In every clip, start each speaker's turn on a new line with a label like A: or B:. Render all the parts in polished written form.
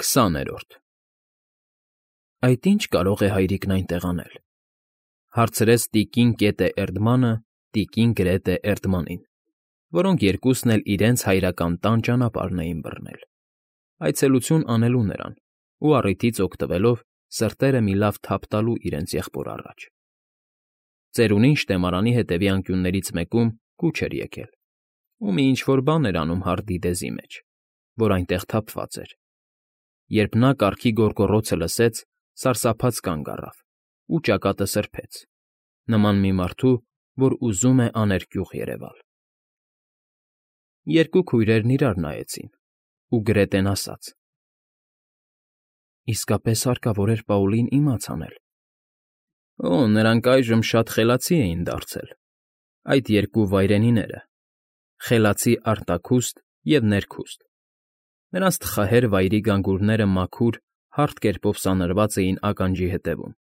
A: 20-րդ Այդ ի՞նչ կարող է հայրիկն այնտեղ անել,֊ հարցրեց տիկին կետը Էրդմանը տիկին Գրետը Էրդմանին, որոնք երկուսն էլ իրենց հայրական տան ճանապարհն էին բռնել, այցելություն անելու նրան ու առիթից օգտվելով սրտերը մի լավ թափ տալու իրենց եղբոր առաջ։ Ծերունին շտեմարանի հետևի անկյուններից մեկում կուչ էր եկել, ու մի ինչ֊որ բան էր անում հարդի դեզի մեջ, որ այնտեղ թափված էր։ Երբ նա կառքի գոռգոռոցը լսեց, սարսափած կանգ առավ ու ճակատը սրբեց, նման մի մարդու, որ ուզում է աներկյուղ երևալ։ Երկու քույրերն իրար նայեցին, ու Գրետեն ասաց. «Իսկապես հարկավոր էր Պաուլին իմաց անել»։ Օ, նրանք այժմ շատ խելացի էին դարձել, այդ երկու վայրենիները, խելացի արտաքուստ և ներքուստ։ Նրանց թխահեր վայրի գանգուրները մաքուր, հարթ կերպով սանրված էին ականջի ետևում,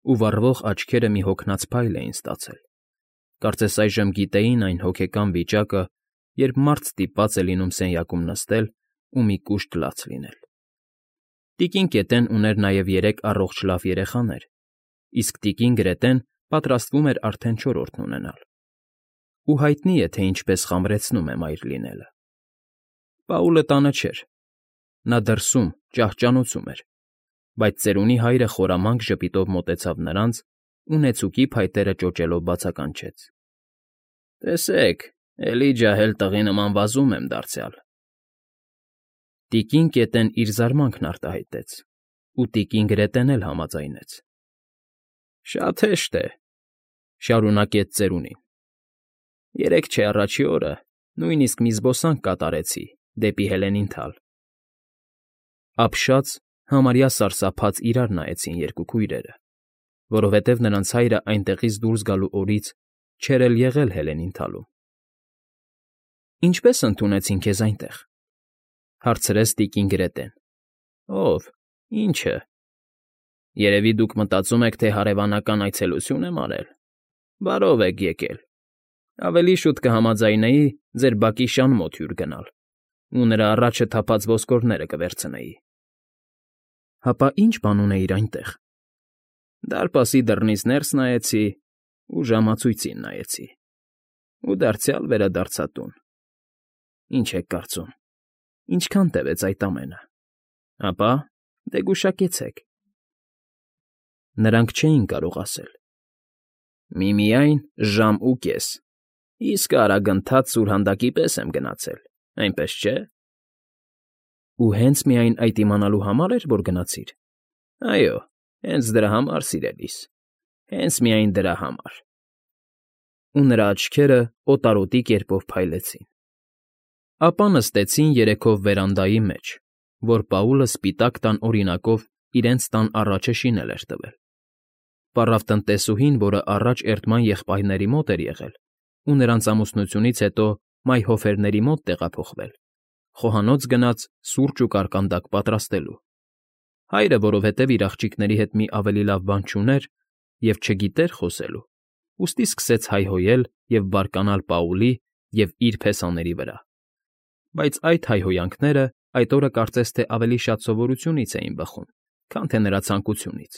A: ու վառվող աչքերը մի հոգնած փայլ էին ստացել։ Կարծես այժմ գիտեին այն հոգեկան վիճակը, երբ մարդ ստիպված է լինում սենյակում նստել ու մի կուշտ լաց լինել։ Տիկին կետեն ուներ նաև 3 առողջ լավ երեխաներ, իսկ տիկին Գրետեն պատրաստվում էր արդեն 4-րդն ունենալ։ Ու հայտնի է, թե ինչպես խամրեցնում է մայր լինելը։ Պաուլը տանը չէր։ Նա դրսում, ճահճանոցում էր, բայց ծերունի հայրը խորամանկ ժպիտով մոտեցավ նրանց ու նեցուկի փայտերը ճոճելով բացականչեց. «Տեսեք, էլի ջահել տղի նման վազում եմ դարձյալ»։ Տիկին կետն իր զարմանքն արտահայտեց, ու տիկին Գրետեն էլ համաձայնեց։ «Շատ հեշտ է,֊ շարունակեց ծերունին,֊ երեկ չէ առաջի օրը նույնիսկ մի զբոսանք կատարեցի դեպի Հելենին թալ»։ Ապշած, համարյա սարսափած իրար նայեցին երկու քույրերը, որովհետև նրանց հայրը այնտեղից դուրս գալու օրից չէր էլ եղել Հելենին թալում։ «Ինչպե՞ս ընդունեցին քեզ այնտեղ,֊ հարցրեց տիկին Գրետեն։ ֊ Ո՞վ, ի՞նչը։ Երևի դուք մտածում եք, թե հարևանական այցելություն եմ արել։ Բարով եք եկել։ Ավելի շուտ կհամաձայնեի ձեր բակի շան մոտ հյուր գնալ ու նրա առաջը թափած ոսկորները կվերցնեի»։ ֊ Հապա ի՞նչ բան ունեիր այնտեղ։ ֊ Դարպասի դռնից ներս նայեցի ու ժամացույցին նայեցի, ու դարձյալ վերադարձա տուն։ ֊ Ինչ եք կարծում, ինչքան տևեց այդ ամենը։ Ապա, դե գուշակեցեք։ Նրանք չէին կարող ասել։ Միմիայն ժամ ու կես, իսկ արագընթաց սուրհանդակի պես եմ գնացել, այնպես չէ։ Ու հենց միայն այդ իմանալու համար էր, որ գնացիր։ Այո, հենց դրա համար, սիրելիս, հենց միայն դրա համար։ Ու նրա աչքերը օտարոտի կերպով փայլեցին։ Ապա նստեցին երեքով վերանդայի մեջ, որ Պաուլը սպիտակ տան օրինակով իրենց տան առաջը շինել էր տվել։ Պառավ տնտեսուհին, որը առաջ Էրդման եղբայրների մոտ էր եղել ու նրանց ամուսնությունից հետո մայհոֆերների մոտ տեղափոխվել, խոհանոց գնաց սուրճ ու կարկանդակ պատրաստելու։ Հայրը, որովհետև իր աղջիկների հետ մի ավելի լավ բան չուներ և չգիտեր խոսելու, ուստի սկսեց հայհոյել և բարկանալ Պաուլի և իր փեսաների վրա։ Բայց այդ հայհոյանքները այդ օրը կարծես թե ավելի շատ սովորությունից էին բխում, քան թե նրա ցանկությունից,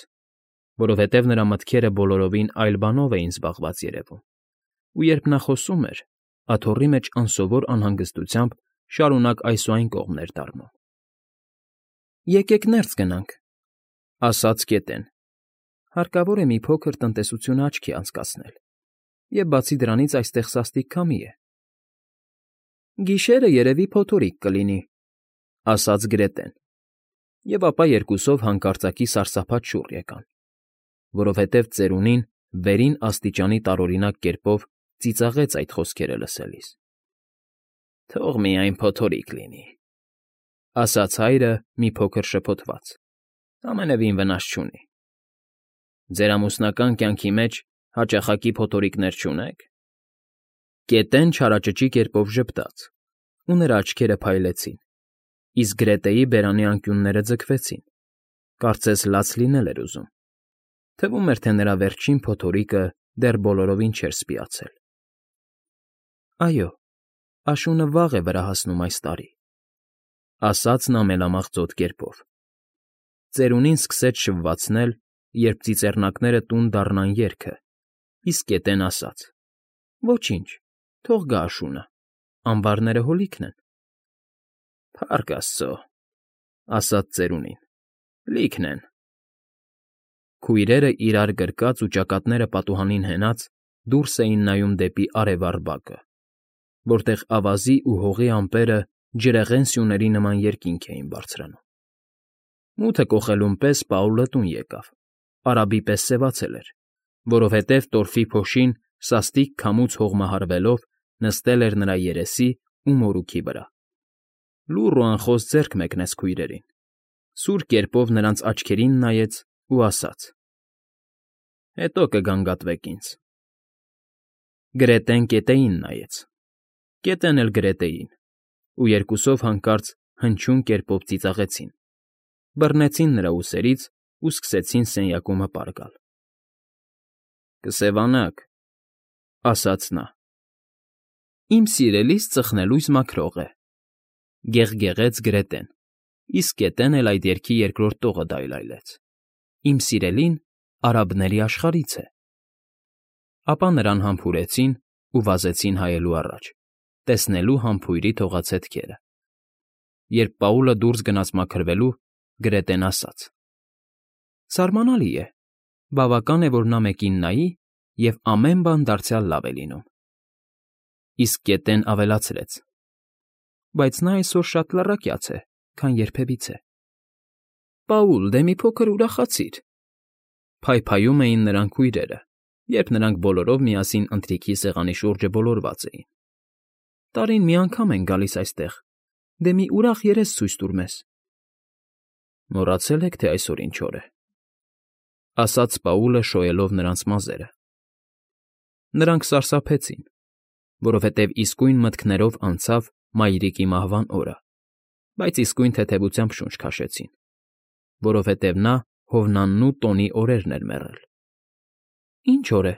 A: որովհետև նրա մտքերը բոլորովին այլ բանով էին զբաղված երևում, ու երբ նա խոսում էր, աթոռի մեջ անսովոր անհանգստությամբ շարունակ այս ու այն կողմներ դառնում։ ֊ Եկեք ներս գնանք,֊ ասաց կետեն։ Հարկավոր է մի փոքր տնտեսությունը աչքի անցկացնել, և բացի դրանից այստեղ սաստիկ քամի է։ Գիշերը երևի փոթորիկ կլինի,֊ ասաց Գրետեն, և ապա երկուսով հանկարծակի սարսափած շուռ եկան, որովհետև ծերունին վերին աստիճանի տարօրինակ կերպով ծիծաղեց այդ խոսքերը լսելիս։ Թող միայն փոթորիկ լինի,֊ ասաց հայրը մի փոքր շփոթված, ամենևին վնաս չունի։ Ձեր ամուսնական կյանքի մեջ հաճախակի փոթորիկներ չունե՞ք։ Կետեն չարաճճի կերպով ժպտաց, ու նրա աչքերը փայլեցին, իսկ Գրետեի բերանի անկյունները ձգվեցին, կարծես լաց լինել էր ուզում։ Թվում էր, թե նրա վերջին փոթորիկը դեռ բոլորովին չէր սպիացել։ Այո, աշունը վաղ է վրա հասնում այս տարի։ ասաց նա մելամաղձոտ կերպով։ Ծերունին սկսեց շվվացնել, երբ ծիծեռնակները տուն դառնան երգը, իսկ գետեն ասաց. «Ոչինչ, թող գա աշունը, ամբարները հոլիքն են»։ «Փառք Աստծո», ասաց ծերունին, «լիքն են»։ Քույրերը իրար գրկած ու ճակատները պատուհանին հենած դուրս էին նայում դեպի արևառ բակը, որտեղ ավազի ու հողի ամպերը ջրեղեն սյուների նման երկինք էին բարձրանում։ Մութը կոխելուն պես Պաուլը տուն եկավ, արաբի պես սևացել էր, որովհետև տորֆի փոշին սաստիկ քամուց հողմահարվելով նստել էր նրա երեսի ու մորուքի վրա։ Լուռ ու անխոս ձեռք մեկնեց քույրերին, սուր կերպով նրանց աչքերին նայեց ու ասաց. «Հետո կգանգատվեք ինձ»։ Գրետեն գետեին նայեց, գետեն էլ գրետեին, ու երկուսով հանկարծ հնչյուն կերպով ծիծաղեցին, բռնեցին նրա ուսերից ու սկսեցին սենյակում հպար գալ։ «Կսևանաք», ասաց նա։ «Իմ սիրելիս ծխնելույս մաքրող է», գեղգեղեց գրետեն, իսկ գետեն էլ այդ երգի երկրորդ տողը դայլայլեց։ «Իմ սիրելին արաբների աշխարհից է»։ Ապա նրան համբուրեցին ու վազեցին հայելու առաջ, տեսնելու համբույրի թողածետքերը։ Երբ Պաուլը դուրս գնաց մաքրվելու, Գրետեն ասաց. «Սարմանալի է, բավական է, որ նա մեկին նայի, և ամեն բան դարձյալ լավ է լինում»։ Իսկ գետեն ավելացրեց. «Բայց նա այսօր շատ լռակյաց է, քան երբևիցե»։ «Պաուլ, դե մի փոքր ուրախացիր», փայփայում էին նրան քույրերը, երբ նրանք բոլորով միասին ընթրիքի սեղանի շուրջը բոլորված էին։ «Տարին մի անգամ ենք գալիս այստեղ, դե մի ուրախ երես ցույց տուր մեզ»։ «Մոռացել եք, թե այսօր ինչ օր է», ասաց Պաուլը շոյելով նրանց մազերը։ Նրանք սարսափեցին, որովհետև իսկույն մտքներով անցավ մայրիկի մահվան օրը, բայց իսկույն թեթևությամբ շունչ քաշեցին, որովհետև նա Հովնաննու տոնի օրերն էր մեռել։ «Ինչ օր է»,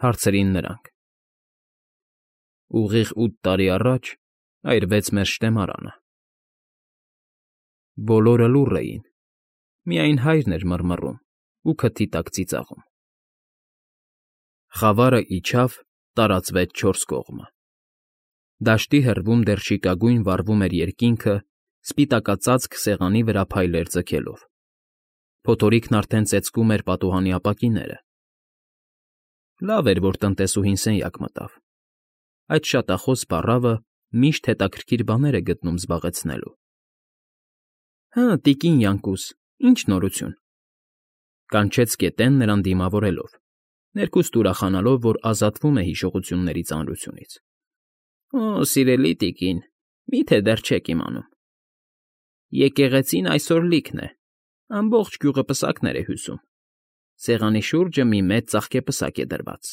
A: հարցրին նրանք։ «Ուղիղ 8 տարի առաջ այրվեց մեր շտեմարանը»։ Բոլորը լուռ էին, միայն հայրն էր մռմռում ու քթի տակ ծիծաղում։ Խավարը իջավ, տարածվեց չորս կողմը։ Դաշտի հեռվում դեռ շիկագույն վառվում էր երկինքը, սպիտակածածկ սեղանի վրա փայլեր ձգելով։ Փոթորիկն արդեն ծեծկում էր պատուհանի ապակիները։ Լավ էր, որ տնտեսուհին սենյակ մտավ։ Այդ շատախոս փառավը միշտ հետաքրքիր բաներ է գտնում զբաղեցնելու։ «Հը, տիկին Յանկուս, ի՞նչ նորություն», կանչեց գետեն նրան դիմավորելով, ներքուստ ուրախանալով, որ ազատվում է հիշողությունների ծանրությունից։ «Օ, սիրելի տիկին, մի՞թե դեռ չեք իմանում։ Եկեղեցին այսօր լիքն է, ամբողջ գյուղը պսակներ է հյուսում։ Սեղանի շուրջը մի մեծ ծաղկեպսակ է դրված,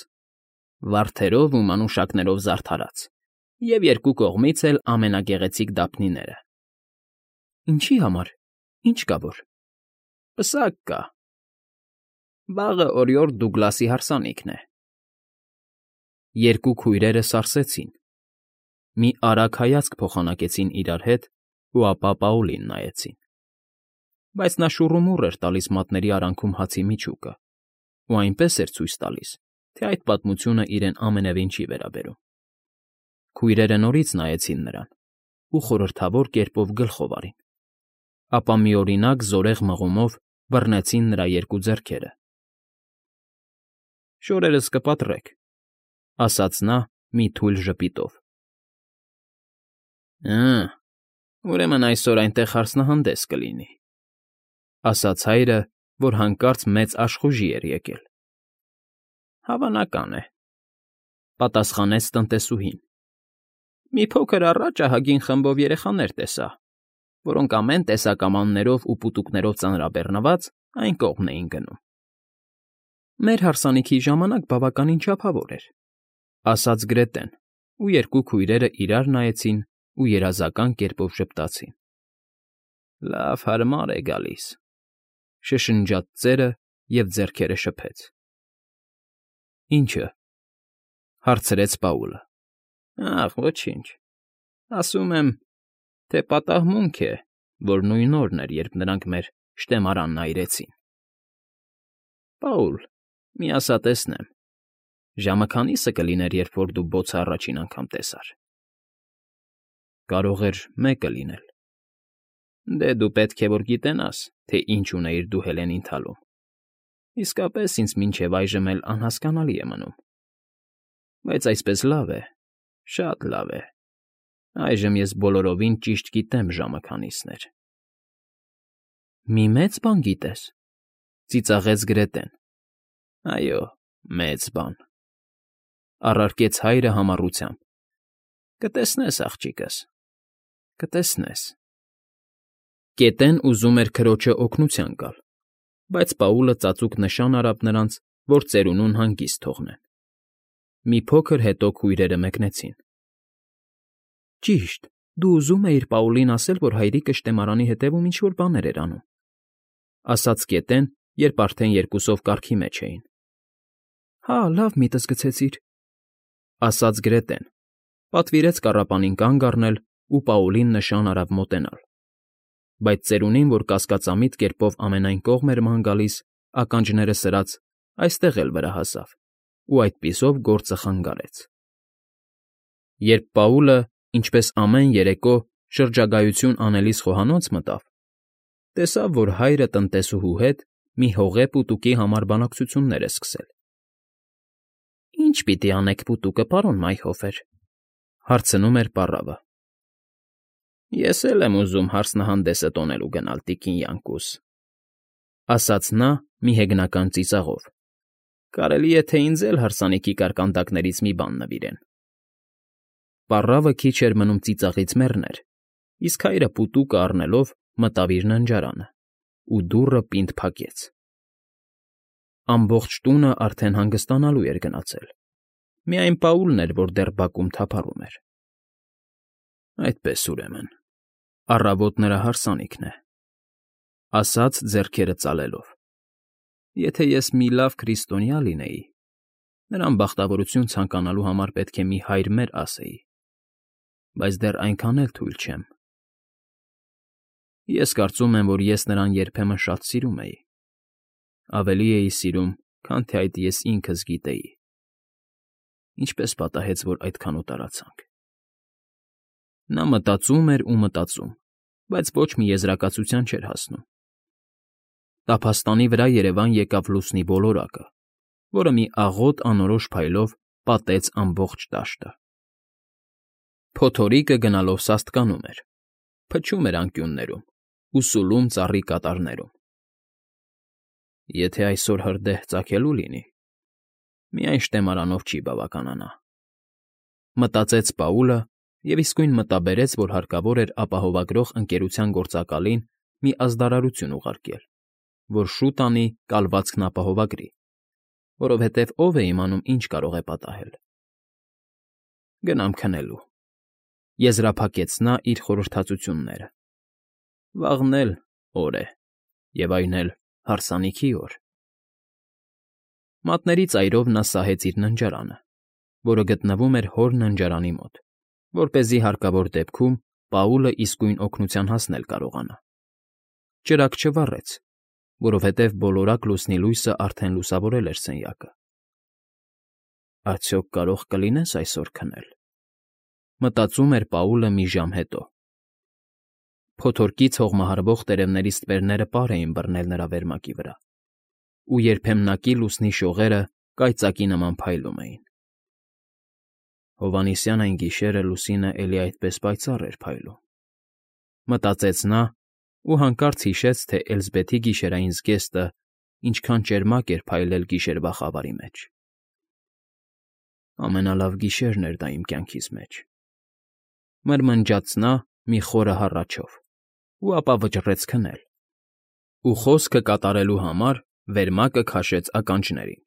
A: վարդերով ու մանուշակներով զարդարած, և երկու կողմից էլ ամենագեղեցիկ դափնիները»։ «Ինչի համար, ինչ կա որ»։ «Պսակ կա։ Վաղը օրիորդ Դուգլասի հարսանիքն է»։ Երկու քույրերը սարսեցին, մի արագ հայացք փոխանակեցին իրար հետ ու ապա Պաուլին նայեցին։ Բայց նա շուռումուռ էր տալիս մատների արանքում հացի միջուկը ու այնպես էր ցույց տալիս, թե այդ պատմությունը իրեն ամենևին չի վերաբերում։ Քույրերը նորից նայեցին նրան ու խորհրդավոր կերպով գլխով արին, ապա միօրինակ զորեղ մղումով բռնեցին նրա երկու ձեռքերը։ «Շորերս կպատրեք», ասաց նա մի թույլ ժպիտով։ «Հը, ուրեմն այսօր այնտեղ հարսնահանդես կլինի», ասաց հայրը, որ հանկարծ մեծ աշխուժի էր եկել։ «Հավանական է», պատասխանեց տնտեսուհին։ «Մի փոքր առաջ ահագին խմբով երեխաներ տեսա, որոնք ամեն տեսակ ամաններով ու պուտուկներով ծանրաբեռնված այն կողմն էին գնում»։ «Մեր հարսանիքի ժամանակ բավականին չափավոր էր», ասաց Գրետեն, ու երկու քույրերը իրար նայեցին ու երազական կերպով ժպտացին։ «Լավ հարմար է գալիս», շշնջաց ծերը և ձեռքերը շփեց։ «Ի՞նչը», հարցրեց Պաուլը։ «Ախ, ոչինչ, ասում եմ, թե պատահմունք է, որ նույն օրն էր, երբ նրանք մեր շտեմարանն այրեցին։ Պաուլ, մի ասա տեսնեմ, ժամը քանի՞սը կլիներ, երբ որ դու բոցը առաջին անգամ տեսար։ Կարող էր մեկը լինել։ Դե դու պետք է որ գիտենաս, թե ինչ ունեիր դու Հելենին թալում։ Իսկապես ինձ մինչև այժմ էլ անհասկանալի է մնում։ Բայց այսպես լավ է, շատ լավ է։ Այժմ ես բոլորովին ճիշտ գիտեմ ժամը քանիսն էր։ Մի մեծ բան գիտես, ծիծաղեց Գրետեն։ Այո, մեծ բան, առարկեց հայրը համառությամբ։ Կտեսնես, աղջիկս, կտեսնես։ Կետեն ուզում էր քրոջը օգնության գալ, բայց Պաուլը ծածուկ նշան արավ նրանց, որ ծերունուն հանգիստ թողնեն։ Մի փոքր հետո քույրերը մեկնեցին։ Ճիշտ, դու ուզում էիր Պաուլին ասել, որ հայրիկը շտեմարանի հետևում ինչ֊որ բաներ էր անում, ասաց Կետեն, երբ արդեն երկուսով կառքի մեջ էին։ Հա, լավ միտս գցեցիր, ասաց Գրետեն, պատվիրեց կառապանին կանգ առնել ու Պաուլին նշան արավ մոտենալ։ Բայց ծերունին, որ կասկածամիտ կերպով ամենայն կողմ էր ման գալիս, ականջները սրած, այստեղ էլ վրա հասավ, ու այդպիսով գործը խանգարեց։ Երբ Պաուլը, ինչպես ամեն երեկո, շրջագայություն անելիս խոհանոց մտավ, տեսավ, որ հայրը տնտեսուհու հետ մի հողե պուտուկի համար բանակցություններ է սկսել։ Ինչ պիտի անեք պուտուկը, պարոն Մայքհոֆեր, հարցնում էր պառավը։ Ես էլ եմ ուզում հարսնահանդեսը տոնելու գնալ, տիկին Յանկուս, ասաց նա մի հեգնական ծիծաղով։ Կարելի է թե ինձ էլ հարսանիքի կարկանդակներից մի բան նվիրեն։ Պառավը քիչ էր մնում ծիծաղից մեռներ, իսկ հայրը պուտուկը առնելով մտավ իր ննջարանը ու դուռը պինդ փակեց։ Ամբողջ տունը արդեն հանգստանալու էր գնացել։ Միայն Պաուլն էր, որ դեռ բակում թափառում էր։ Այդպես ուրեմն, առավոտ նրա հարսանիքն է, ասաց ձեռքերը ծալելով։ Եթե ես մի լավ քրիստոնյա լինեի, նրան բախտավորություն ցանկանալու համար պետք է մի հայր մեր ասեի, բայց դեռ այնքան էլ թույլ չեմ։ Ես կարծում եմ, որ ես նրան երբեմն շատ սիրում էի։ Ավելի էի սիրում, քան թե այդ ես ինքս գիտեի։ Ինչպես պատահեց, որ այդքան ուտարացանք։ Նա մտածում էր ու մտածում, բայց ոչ մի եզրակացության չէր հասնում։ Տափաստանի վրա Երևան եկավ լուսնի ոլորակը, որը մի աղոտ անորոշ փայլով պատեց ամբողջ դաշտը։ Փոթորիկը գնալով սաստկանում էր, փչում էր անկյուններում ու սուլում ծառի կատարներում։ Եթե այսօր հրդեհ ծագելու լինի, միայն շտեմարանով չի բավականանա։ Մտածեց Պաուլը և իսկույն մտաբերեց, որ հարկավոր էր ապահովագրող ընկերության գործակալին մի ազդարարություն ուղարկել, որ շուտ անի կալվածքն ապահովագրի, որովհետև ով է իմանում, ինչ կարող է պատահել։ Գնամ քնելու, եզրափակեց նա իր խորհրդածությունները։ Վաղն էլ օր է, և այն էլ հարսանիքի օր։ Մատների ծայրով նա սահեց իր ննջարանը, որը գտնվում էր հոր ննջարանի մոտ, որպեսզի հարկավոր դեպքում Պաուլը իսկույն օգնության հասնել կարողանա։ Ճրագ չվառեց, որովհետև բոլորակ լուսնի լույսը արդեն լուսավորել էր սենյակը։ Արդյոք կարող կլինես այսօր քնել, մտածում էր Պաուլը մի ժամ հետո։ Փոթորկից հողմահարվող տերևների ստվերները պար էին բռնել նրա վերմակի վրա, ու երբեմնակի լուսնի շողերը կայծակի նման փայլում էին։ Հովհաննիսյան այն գիշերը լուսինը էլի այդպես պայծառ էր փայլում, մտածեց նա ու հանկարծ հիշեց, թե Էլզբեթի գիշերային զգեստը ինչքան ճերմակ էր փայլել գիշերվա խավարի մեջ։ Ամենալավ գիշերն էր դա իմ կյանքիս մեջ, մրմնջաց նա մի խորը հառաչով, ու ապա վճռեց քնել, ու խոսքը կատարելու համար վերմակը քաշեց ականջներին։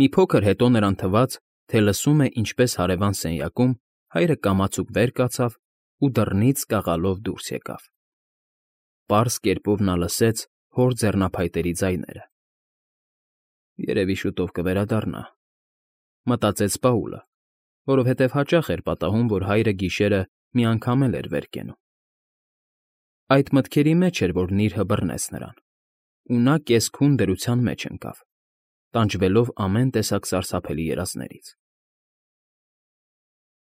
A: Մի փոքր հետո նրան թվաց, թե լսում է, ինչպես հարևան սենյակում հայրը կամացուկ վեր կացավ ու դռնից կաղալով դուրս եկավ։ Պարզ կերպով նա լսեց հոր ձեռնափայտերի ձայները։ Երևի շուտով կվերադառնա, մտածեց Պաուլը, որովհետև հաճախ էր պատահում, որ հայրը գիշերը մի անգամ էլ էր վեր կենում։ Այդ մտքերի մեջ էր, որ նիրհը բռնեց նրան, ու նա կես֊քուն դրության մեջ ընկավ, տանջվելով ամեն տեսակ սարսափելի երազներից։